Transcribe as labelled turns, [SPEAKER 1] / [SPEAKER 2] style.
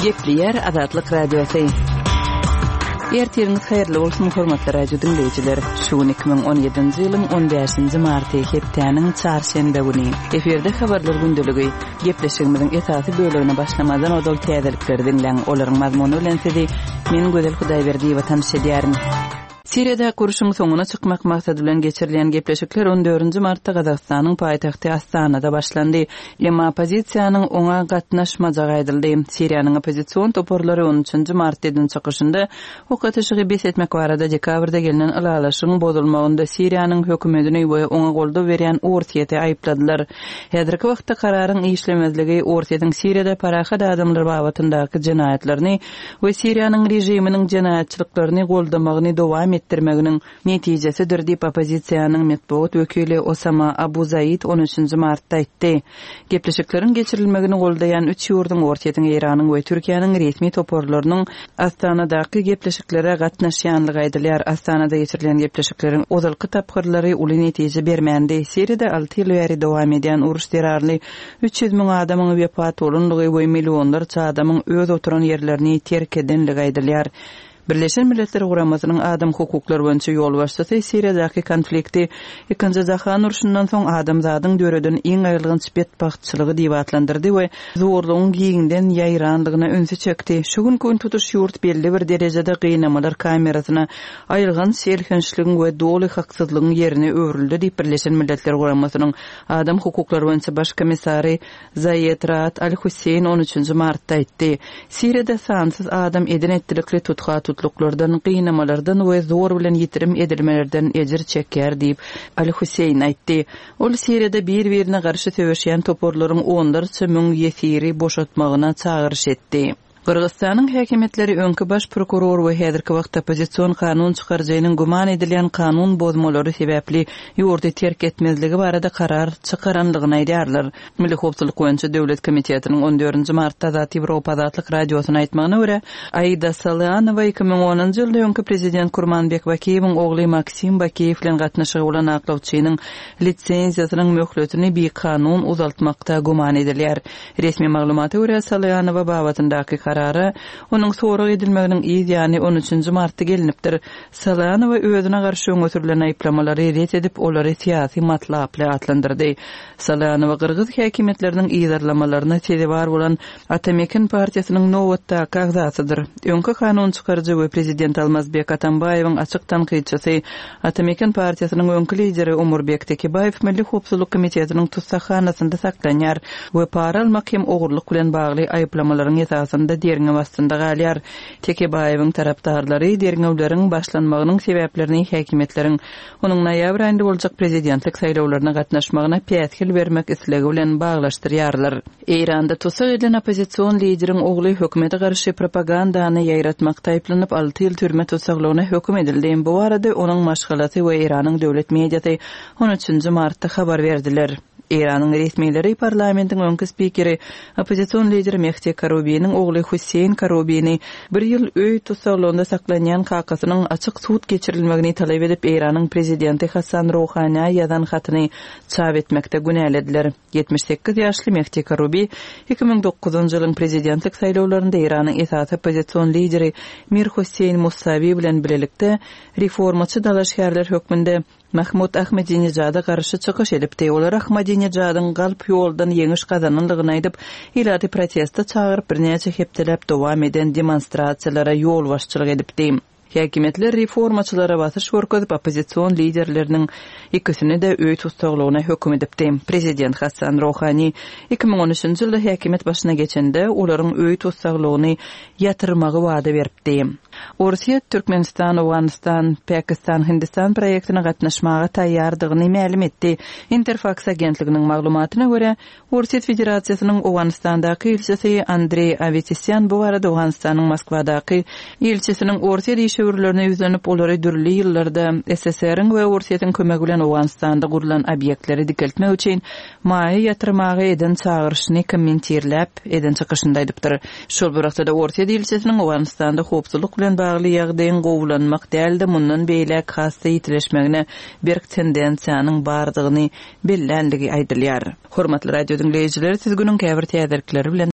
[SPEAKER 1] Gepleýär Azatlyk Radiosy. Ertiriňiz haýyrly bolsun, hormatly radio diňleýjiler! Şu gün 2017-nji ýylyň 15-nji marty, hepdäniň çarşenbe güni. Efirde habarlar gündeligi. Gepleşigimiziň esasy bölegine başlamazdan ozal täzelikleri diňläň. Olaryň mazmuny bilen sizi men Gözel Hudaýberdiýewa tanyş edýärin. Siriýadaky urşuň soňuna çykmak maksady bilen geçirilýän gepleşikler on dördünji martda Gazagystanyň paýtagty Astanada başlandy. Emma oppozisiýanyň oňa gatnaşmajagy aýdyldy. Siriýanyň oppozision toparlary on üçünji martda eden çykyşynda ok atyşygy bes etmek barada dekabrda gelnen ylalaşygyň bozulmagynda Siriýanyň hökümetini we oňa goldaw berýän Orsýeti aýypladylar. Häzirki wagtda kararyň işlemezligi Orsýetiň Siriýada parahat adamlar babatyndaky jenaýatlaryny we Siriýanyň režiminiň jenaýatçylyklaryny goldamagyny dowam etdirmeginiň netijesidir diýip, oppozisiýanyň metbugat wekili Osama Abu Zaid on üçünji martda aýtdy. Gepleşikleriň geçirilmegini goldaýan üç ýurduň, Orsýetiň, Eýranyň we Türkiýäniň resmi toparlarynyň Astanadaky gepleşiklere gatnaşýanlygy aýdylýar. Astanada geçirilýän gepleşikleriň ozalky tapgyrlary uly netije bermändi. Siriýada alty ýyl bäri dowam edýän uruş zerarly 300 müň adamyň wepat bolandygy we millionlarça adamyň öz oturan ýerlerini terk edenligi aýdylýar. Birleşen Milletler Guramasynyň adam hukuklary boýunça ýolbaşçysy Siriýadaky konflikti Ikinji jahan urşundan soň adamzadyň döreden iň aýylganç betbagtçylygy diýip atlandyrdy we zorlugyň giňden ýaýrandygyna ünsi çekdi. Şu günki gün tutuş ýurt belli bir derejede gynamalar kamerasyna, aýylganç elhençligiň we doly haksyzlygyň ýerine öwrüldi diýip Birleşen Milletler Guramasynyň Adam hukuklary boýunça baş komissary Zaýed Raad Al-Husseýn on üçünji martda aýtdy. Siriýada sansyz adam eden-etdilikli tutha-tutluklardan, gynamalardan we zor bilen ýitirim edilmelerden ejir çekýär diýip, Al-Husseýn aýtdy. Ol Siriýada bir-birine garşy söweşýän toparlaryň onlarça müň ýesiri boşatmagyna çagyryş etdi. Gyrgyzystanyň häkimiýetleri öňki baş prokuror we häzirki wagtda oppozision kanun çykaryjynyň güman edilýän kanun bozmalary sebäpli ýurdy terk etmezligi barada karar çykaranlygyny aýdýarlar. Milli howpsuzlyk boýunça döwlet komitetiniň on dördünji martda Azat Ýewropa Azatlyk Radiosyna aýtmagyna görä, Aida Salyanowa 2010-njy ýylda öňki prezident Kurmanbek Bakiýewiň ogly Maksim Bakiýew bilen gatnaşygy bolan aklawçynyň lisenziýasynyň möhletini bikanun uzaltmakda güman edilýär. Resmi maglumata görä, Salyanowa babatyndaky karara onuň sorag edilmeginiň yz ýany on üçünji martda gelnipdir. Salyanowa özüne garşy öňe sürlen aýyplamalary ret edip, olary syýasy matlaply atlandyrdy. Salyanowa gyrgyz häkimiýetleriniň yzarlamalaryna sezewar bolan Ata-Meken partiýasynyň nobatdaky agzasydyr. Öňki kanun çykaryjy we prezident Almazbek Atambaýewiň açyk tankytçysy, Ata-Meken partiýasynyň öňki lideri Omurbek Tekebaýew Milli howpsuzlyk komitetiniň tussaghanasynda saklanýar we para almak hem ogurlyk bilen bagly aýyplamalaryň esasynda derňew astynda galýar. Tekebaýewiň tarapdarlary derňewleriň başlanmagynyň sebäplerini häkimiýetleriň onuň noýabr aýynda boljak prezidentlik saýlawlaryna gatnaşmagyna päsgel bermek islegi bilen baglaşdyrýarlar. Eýranda tussag edilen oppozision lideriň ogly hökümete garşy propagandany ýaýratmakda aýyplanyp, alty ýyl türme tussaglygyna höküm edildi. Bu barada onuň maşgalasy we Eýranyň döwlet mediasy on üçünji martda habar berdiler. Eýranyň resmileri parlamentiň öňki spikeri, oppozision lider Mehdi Karubiniň ogly Hüseýin Karubini bir ýyl öý tussaglygynda saklanýan kakasynyň açyk sud geçirilmegini talap edip, Eýranyň prezidenti Hassan Rohanä ýazan hatyny çap etmekde günälediler. 78 ýaşly Mehdi Karubi 2009-njy ýylyň prezidentlik saýlawlarynda Eýranyň esasy oppozision lideri Mir Hosseýn Musawi bilen bilelikde reformaçy dalaşgärler hökmünde Mahmud Ahmedinejada garşy çykyş edipdi. Olar Ahmadinejadyň galp ýoldan ýeňiş gazanandygyny aýdyp, ilaty proteste çagyryp, birnäçe hepdeläp dowam eden demonstrasiýalara ýolbaşçylyk edipdi. Häkimiýetler reformaçylara basyş görkezip, oppozision liderleriniň ikisini-de öý tussaglygyna höküm edipdi. Prezident Hassan Rohani 2013-nji ýylda häkimiýet başyna geçende, olaryň öý tussaglygyny ýatyrmagy wada beripdi. Orsýet Türkmenistan, Owganystan, Pakistan, Hindistan proýektine gatnaşmaga taýýardygyny mälim etdi. Interfaks agentliginiň maglumatyna görä, Orsýet Federasiýasynyň Owganystandaky ilçisi Andreý Awetisýan bu barada Owganystanyň Moskwadaky ilçisiniň orsýet işewürlerine ýüzlenip, olary dürli ýyllarda SSR-iň we Orsýetiň kömegi bilen Owganystanda gurlan obýektleri dikeltmek üçin maýa ýatyrmaga eden çagyryşyny kommentirläp eden çykyşynda aýdypdyr. Şol bir wagtda-da Orsýet ilçisiniň Owganystanda howpsuzlyk bilen bagly ýagdaýyň gowulanmak däl-de, mundan beýläk has-da ýitileşmegine berk tendensiýanyň bardygyny bellänligi aýdylýar. Hormatly radio diňleýjiler, siz günüň käbir täzelikleri bilen.